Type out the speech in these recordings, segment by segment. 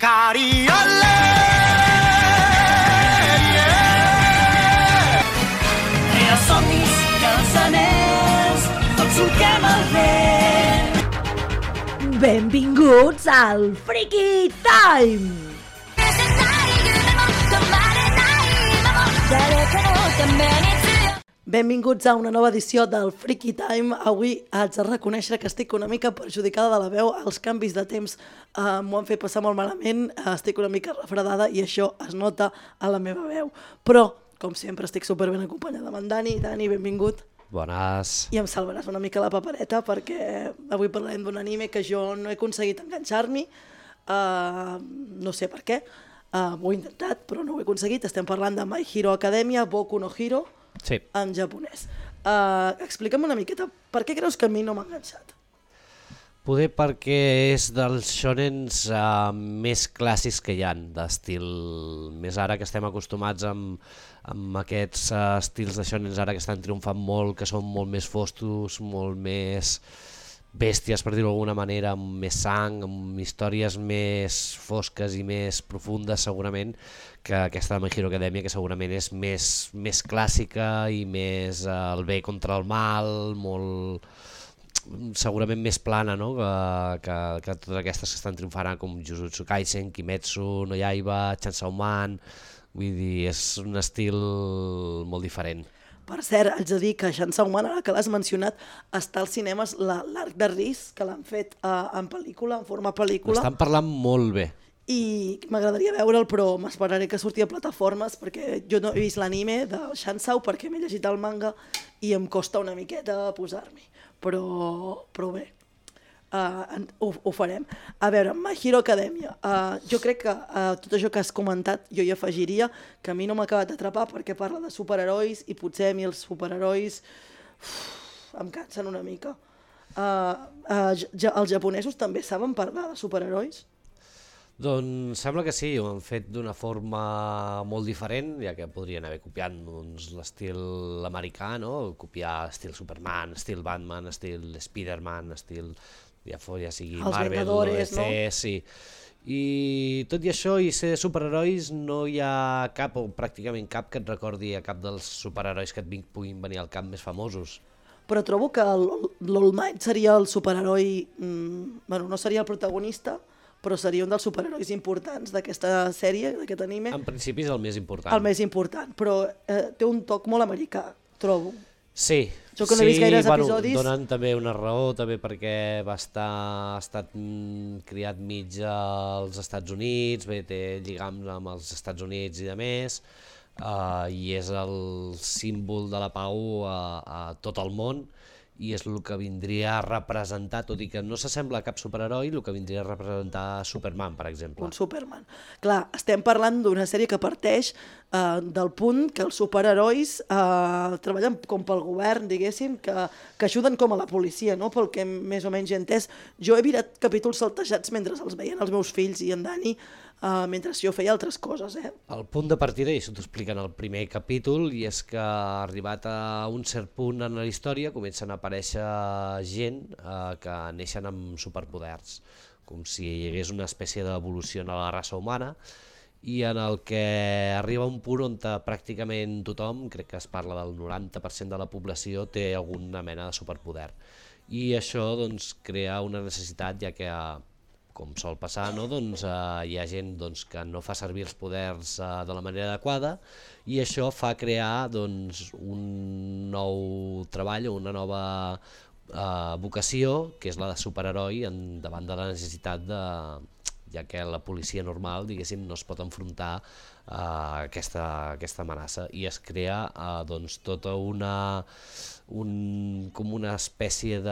Cariole, Crea somnis, cançoners, tots solquem el vent. Benvinguts al Freaky Time! Benvinguts a una nova edició del Freaky Time. Avui haig de reconèixer que estic una mica perjudicada de la veu. Els canvis de temps m'ho han fet passar molt malament. Estic una mica refredada i això es nota a la meva veu. Però, com sempre, estic superben acompanyada amb en Dani. Dani, benvingut. Bones. I em salvaràs una mica la papereta perquè avui parlarem d'un anime que jo no he aconseguit enganxar-m'hi. No sé per què. Ho he intentat, però no ho he aconseguit. Estem parlant de My Hero Academia, Boku no Hero, Sí. en japonès. Explica'm una miqueta, per què creus que a mi no m'ha enganxat? Poder perquè és dels shonens més clàssics que hi ha, d'estil més ara que estem acostumats amb aquests estils de shonens ara que estan triomfant molt, que són molt més foscos, molt més bèsties, per dir-ho d'alguna manera, amb més sang, amb històries més fosques i més profundes segurament, que aquesta de My Hero Academia, que segurament és més clàssica i més el bé contra el mal, molt segurament més plana, no? que totes aquestes que estan triomfant com Jujutsu Kaisen, Kimetsu no Yaiba, Chainsaw Man, vull dir, és un estil molt diferent. Per cert, haig de dir que Chainsaw Man, ara que l'has mencionat, està als cinemes l'Arc de Riz, que l'han fet en pel·lícula, en forma pel·lícula. Estan parlant molt bé. I m'agradaria veure'l, però m'esperaré que surti a plataformes perquè jo no he vist l'anime de Chainsaw perquè m'he llegit el manga i em costa una miqueta posar-m'hi. Però bé, ho farem. A veure, My Hero Academia. Jo crec que tot això que has comentat jo hi afegiria que a mi no m'ha acabat d'atrapar perquè parla de superherois i potser a mi els superherois em cansen una mica. Els japonesos també saben parlar de superherois? Doncs sembla que sí, ho han fet d'una forma molt diferent, ja que podrien haver copiat l'estil americà, no? Copiar estil Superman, estil Batman, estil Spider-Man, estil ja sigui Els Marvel, Vengadores, DC, no? sí. I tot i això, i ser superherois, no hi ha cap, o pràcticament cap, que et recordi a cap dels superherois que et puguin venir al cap més famosos. Però trobo que l'All Might seria el superheroi, bueno, no seria el protagonista, però seria un dels superherois importants d'aquesta sèrie, d'aquest anime. En principi és el més important. El més important, però té un toc molt americà, trobo. Sí, Jo que no he vist gaires episodis. Donen també una raó, també perquè ha estat criat mig als Estats Units, bé, té lligams amb els Estats Units i de més, i és el símbol de la pau a tot el món, i és el que vindria a representar, tot i que no s'assembla a cap superheroi, el que vindria a representar Superman, per exemple. Un Superman. Clar, estem parlant d'una sèrie que parteix del punt que els superherois treballen com pel govern, diguéssim, que ajuden com a la policia, no? Pel que més o menys he entès. Jo he mirat capítols saltejats mentre els veien els meus fills i en Dani, mentre jo feia altres coses. El punt de partida, i això t'ho explica en el primer capítol, i és que arribat a un cert punt en la història comencen a aparèixer gent que neixen amb superpoders, com si hi hagués una espècie d'evolució en la raça humana, i en el que arriba un punt on pràcticament tothom, crec que es parla del 90% de la població, té alguna mena de superpoder. I això doncs, crea una necessitat, ja que com sol passar, no? Doncs, hi ha gent doncs, que no fa servir els poders de la manera adequada, i això fa crear doncs, un nou treball o una nova vocació, que és la de superheroi, davant de la necessitat ja que la policia normal, diguéssim, no es pot enfrontar a aquesta amenaça, i es crea doncs, tota com una espècie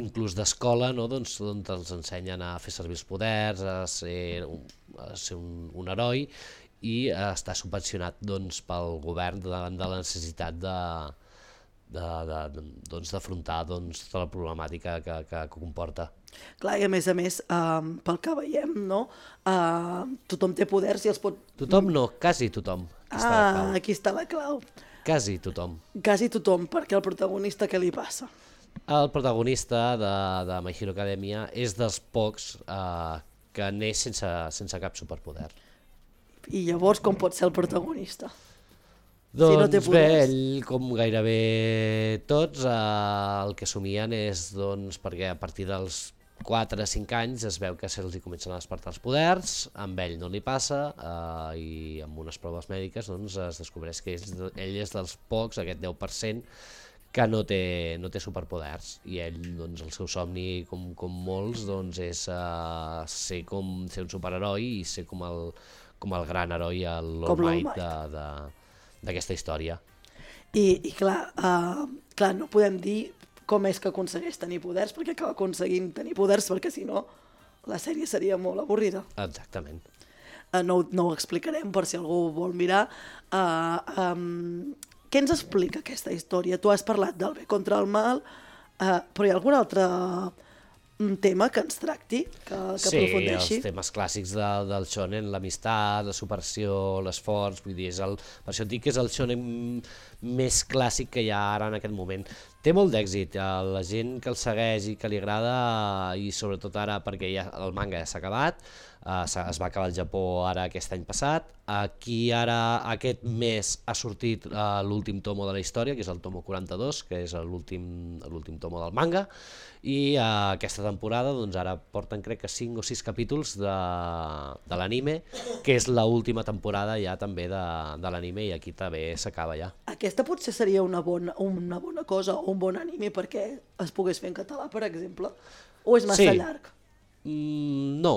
inclús d'escola, no? Doncs, on els ensenyen a fer servir els poders, a ser un heroi, i està subvencionat doncs, pel govern davant de la necessitat d'afrontar tota la problemàtica que comporta. Clar, i a més, pel que veiem, no? Tothom té poders i els pot... Tothom no, quasi tothom. Aquí està la clau. Quasi tothom. Quasi tothom, perquè el protagonista què li passa? El protagonista de My Hero Academia és dels pocs que neix sense cap superpoder. I llavors com pot ser el protagonista? Doncs si no té bé, poders. ell, com gairebé tots, el que somien és doncs, perquè a partir dels 4 o 5 anys es veu que se'ls comencen a despertar els poders, amb ell no li passa i amb unes proves mèdiques doncs, es descobreix que ell és dels pocs, aquest 10%, que no té superpoders, i ell, doncs, el seu somni, com molts, doncs, és ser un superheroi i ser com el gran heroi, l'All Might d'aquesta història. I clar, no podem dir com és que aconsegueix tenir poders, perquè acaba aconseguint tenir poders, perquè si no la sèrie seria molt avorrida. Exactament. No ho explicarem per si algú vol mirar. Què ens explica aquesta història? Tu has parlat del bé contra el mal, però hi ha algun altre tema que ens tracti, que aprofundeixi? Sí, els temes clàssics del shonen, l'amistat, la superació, l'esforç, vull dir, per això et dic que és el shonen més clàssic que hi ha ara en aquest moment. Té molt d'èxit, la gent que el segueix i que li agrada, i sobretot ara perquè el manga ja s'ha acabat, es va acabar al Japó ara aquest any passat, aquí ara aquest mes ha sortit l'últim tomo de la història, que és el tomo 42, que és l'últim tomo del manga, i aquesta temporada doncs ara porten crec que 5 o 6 capítols de l'anime, que és l'última temporada ja també de l'anime, i aquí també s'acaba ja. Aquesta potser seria una bona cosa o un bon anime perquè es pogués fer en català, per exemple, o és massa llarg? No,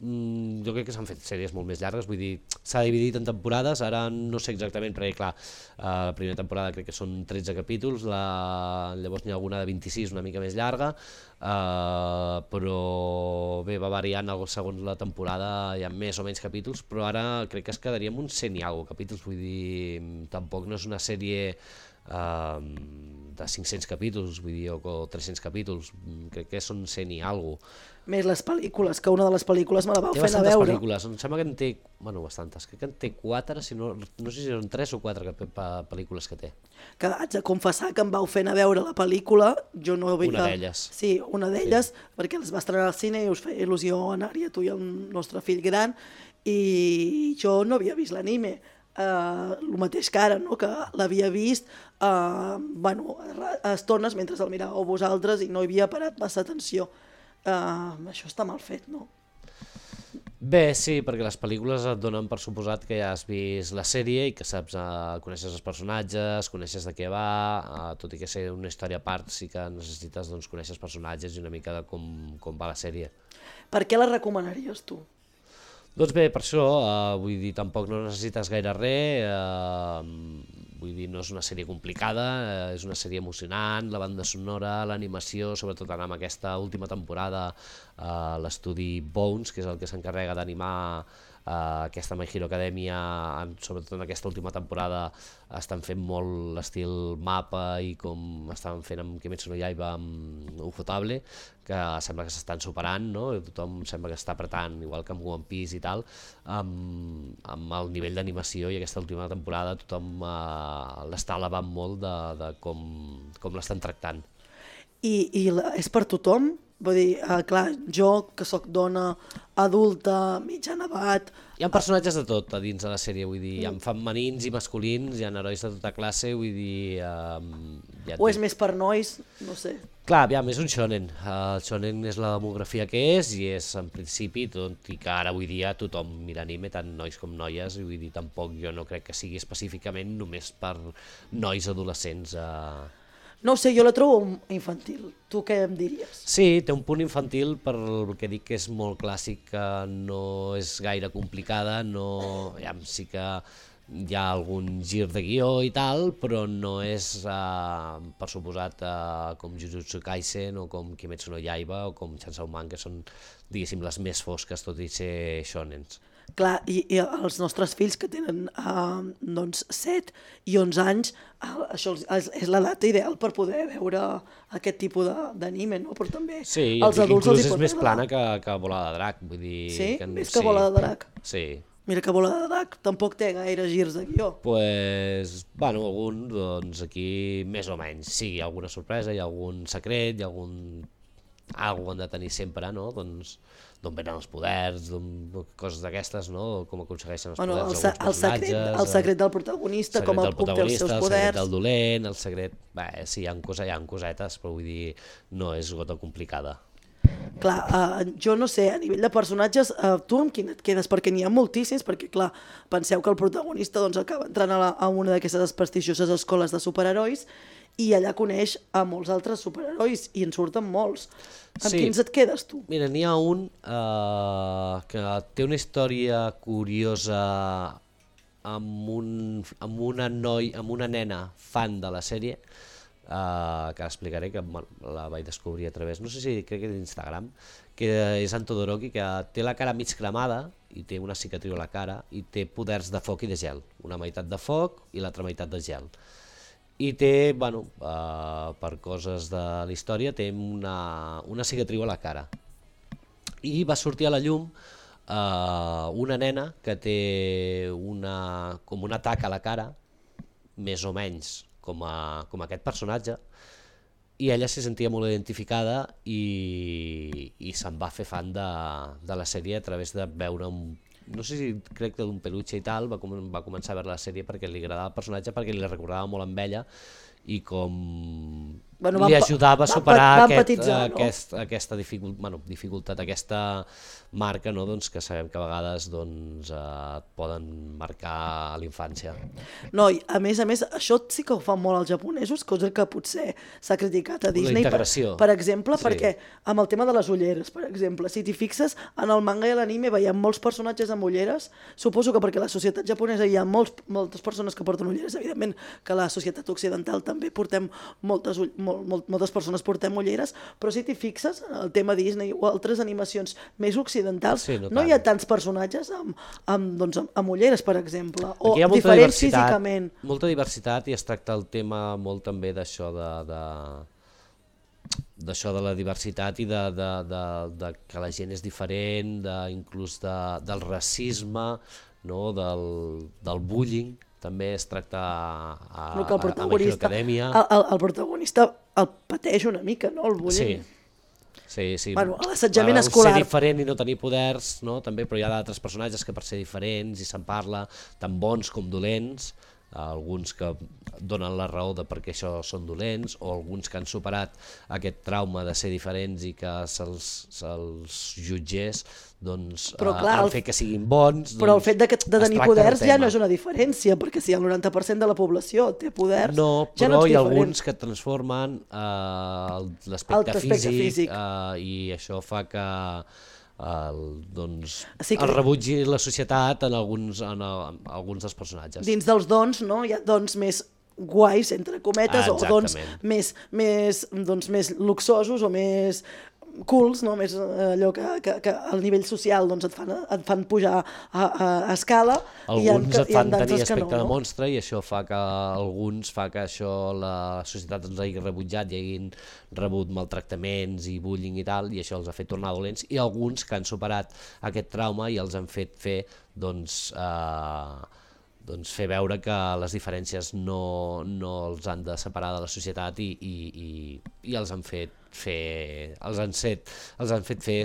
jo crec que s'han fet sèries molt més llargues, vull dir, s'ha dividit en temporades, ara no sé exactament, perquè clar, la primera temporada crec que són 13 capítols, llavors n'hi ha alguna de 26, una mica més llarga, però bé, va variant segons la temporada, hi ha més o menys capítols, però ara crec que es quedaria amb uns 100 i alguna capítols, vull dir, tampoc no és una sèrie de 500 capítols, vull dir, o 300 capítols, crec que són 100 i alguna. Més les pel·lícules, que una de les pel·lícules me la vau fer anar a veure. Té bastantes pel·lícules, em sembla que en té, bastantes, crec que en té 4, no sé si són 3 o 4 pel·lícules que té. Que haig de confessar que em vau fer anar a veure la pel·lícula, jo no havia... Una d'elles. Sí, una d'elles, perquè les va estrenar al cine i us feia il·lusió anar-hi a tu i al nostre fill gran, i jo no havia vist l'anime. El mateix que ara, no? Que l'havia vist a estones mentre el miràveu vosaltres i no hi havia parat massa atenció. Això està mal fet, no? Bé, sí, perquè les pel·lícules et donen per suposat que ja has vist la sèrie i que saps, coneixes els personatges, coneixes de què va, tot i que ser una història a part sí que necessites conèixer els personatges i una mica de com va la sèrie. Per què la recomanaries tu? Doncs bé, per això, vull dir, tampoc no necessites gaire res, vull dir, no és una sèrie complicada, és una sèrie emocionant, la banda sonora, l'animació, sobretot ara amb aquesta última temporada, l'estudi Bones, que és el que s'encarrega d'animar aquesta My Hero Academia, sobretot en aquesta última temporada estan fent molt l'estil mapa i com estaven fent amb Kimetsu no Yaiba amb Ufotable, que sembla que s'estan superant, no? Tothom sembla que està apretant, igual que amb One Piece i tal, amb el nivell d'animació, i aquesta última temporada tothom l'està elevant molt de com l'estan tractant. I és per tothom? Vull dir, clar, jo que sóc dona adulta, mitjana edat... Hi ha personatges de tot a dins de la sèrie, vull dir, hi ha femenins i masculins, hi ha herois de tota classe, vull dir... O és més per nois, no sé. Clar, aviam, és un shonen. El shonen és la demografia que és, i és en principi, tot i que ara avui dia tothom mira anime, tant nois com noies, i vull dir, tampoc jo no crec que sigui específicament només per nois adolescents. No ho sé, jo la trobo infantil. Tu què em diries? Sí, té un punt infantil per el que dic que és molt clàssic, que no és gaire complicada, sí que hi ha algun gir de guió i tal, però no és, per suposat, com Jujutsu Kaisen o com Kimetsu no Yaiba o com Chainsaw Man, que són, diguéssim, les més fosques, tot i ser shonens. Clar, i els nostres fills que tenen 7 i 11 anys, això és l'edat ideal per poder veure aquest tipus d'anime, no? Però també sí, els adults els hi pot és més plana que Bola de Drac, vull dir... Sí? Més que Bola de Drac? Sí. Mira que Bola de Drac tampoc té gaire girs de guió. Algun, doncs aquí més o menys, sí, hi ha alguna sorpresa, hi ha algun secret, hi ha alguna han de tenir sempre, no? Doncs d'on venen els poders, coses d'aquestes, no? Com aconsegueixen els poders alguns personatges. El secret del protagonista, com obté els seus poders. El secret del dolent, el secret... Bé, sí, hi ha cosetes, però vull dir, no és gota complicada. Clar, jo no sé, a nivell de personatges, tu amb quin et quedes? Perquè n'hi ha moltíssims, perquè clar, penseu que el protagonista doncs, acaba entrant a una d'aquestes prestigioses escoles de superherois i allà coneix a molts altres superherois i en surten molts. Amb quins et quedes tu? Mira, n'hi ha un que té una història curiosa amb una nena fan de la sèrie, que explicaré, que la vaig descobrir a través, no sé si crec que d'Instagram, que és en Todoroki, que té la cara mig cremada i té una cicatriu a la cara i té poders de foc i de gel, una meitat de foc i l'altra meitat de gel. I té, bueno, per coses de la història, té una cicatriu a la cara. I va sortir a la llum una nena que té com un atac a la cara, més o menys com aquest personatge, i ella s'hi sentia molt identificada i se'n va fer fan de la sèrie a través de veure no sé si crec que d'un peluche i tal, va començar a veure la sèrie perquè li agradava el personatge, perquè li recordava molt amb ella i com li ajudava a superar aquesta dificultat, aquesta marca, no? Doncs que sabem que a vegades et poden marcar a la infància. No, i a més, això sí que ho fan molt els japonesos, cosa que potser s'ha criticat a Disney, per exemple, perquè amb el tema de les ulleres, per exemple, si t'hi fixes, en el manga i l'anime veiem molts personatges amb ulleres, suposo que perquè a la societat japonesa hi ha moltes persones que porten ulleres, evidentment que a la societat occidental també portem moltes persones portem ulleres, però si t'hi fixes, el tema Disney o altres animacions més occidentals, no hi ha tants personatges amb ulleres, per exemple, o diferents físicament. Molta diversitat, i es tracta el tema molt també d'això de la diversitat i de que la gent és diferent, inclús del racisme, del bullying. També es tracta a My Hero Academia. El protagonista el pateix una mica, no, el bullying? Sí. Bueno, l'assetjament escolar. Ser diferent i no tenir poders, no? També, però hi ha d'altres personatges que per ser diferents i se'n parla, tant bons com dolents, alguns que donen la raó de per què això són dolents, o alguns que han superat aquest trauma de ser diferents i que se'ls jutgés han fet que siguin bons. Però el fet de tenir poders ja no és una diferència, perquè si el 90% de la població té poders, no, ja no ets diferent. Però hi ha alguns que transformen l'aspecte físic i això fa que el rebutgi la societat en alguns dels personatges. Dins dels dons, no? Hi ha dons més guais, entre cometes, o dons més luxosos o més cools, no? Més allò que al nivell social et fan pujar a escala. Alguns et fan tenir aspecte de monstre i això fa que la societat els hagi rebutjat i hagin rebut maltractaments i bullying i tal, i això els ha fet tornar dolents, i alguns que han superat aquest trauma i els han fet fer fer veure que les diferències no els han de separar de la societat i els han fet fer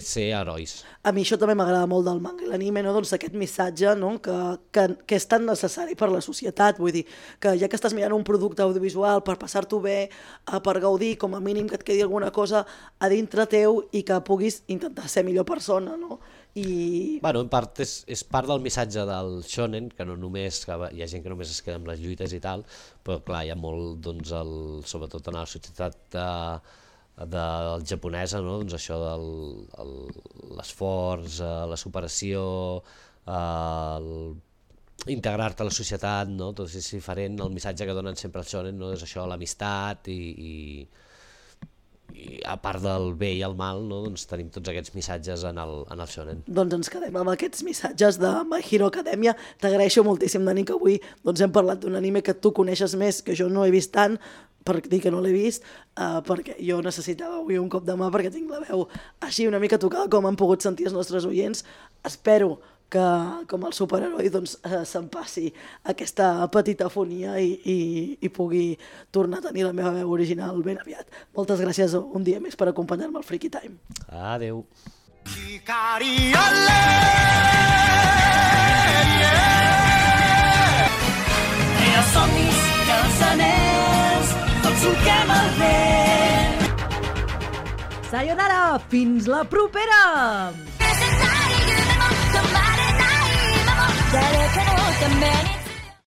ser herois. A mi això també m'agrada molt del manga i l'anime, no? Doncs aquest missatge, no? que és tan necessari per la societat, vull dir, que ja que estàs mirant un producte audiovisual per passar-t'ho bé, per gaudir, com a mínim que et quedi alguna cosa a dintre teu i que puguis intentar ser millor persona, no? Bueno, en part és part del missatge del shonen, que no només hi ha gent que només es queda amb les lluites i tal, però clar, hi ha molt, doncs, sobretot en la societat del japonesa, no? Doncs això de l'esforç, la superació, integrar-te a la societat, no? Tot és diferent, el missatge que donen sempre el shonen, no? És això, l'amistat i a part del bé i el mal, no? Doncs tenim tots aquests missatges en el shonen. Doncs ens quedem amb aquests missatges de My Hero Academia. T'agraeixo moltíssim, Dani, que avui hem parlat d'un anime que tu coneixes més, que jo no he vist tant, per dir que no l'he vist, perquè jo necessitava avui un cop de mà perquè tinc la veu així una mica tocada, com han pogut sentir els nostres oients. Espero que com el superheroi doncs, se'm passi aquesta petita afonia i pugui tornar a tenir la meva veu original ben aviat. Moltes gràcies un dia més per acompanyar-me al Freaky Time. Adeu. Crea somnis i els anells, tots solquem el vent. Sayonara, fins la propera!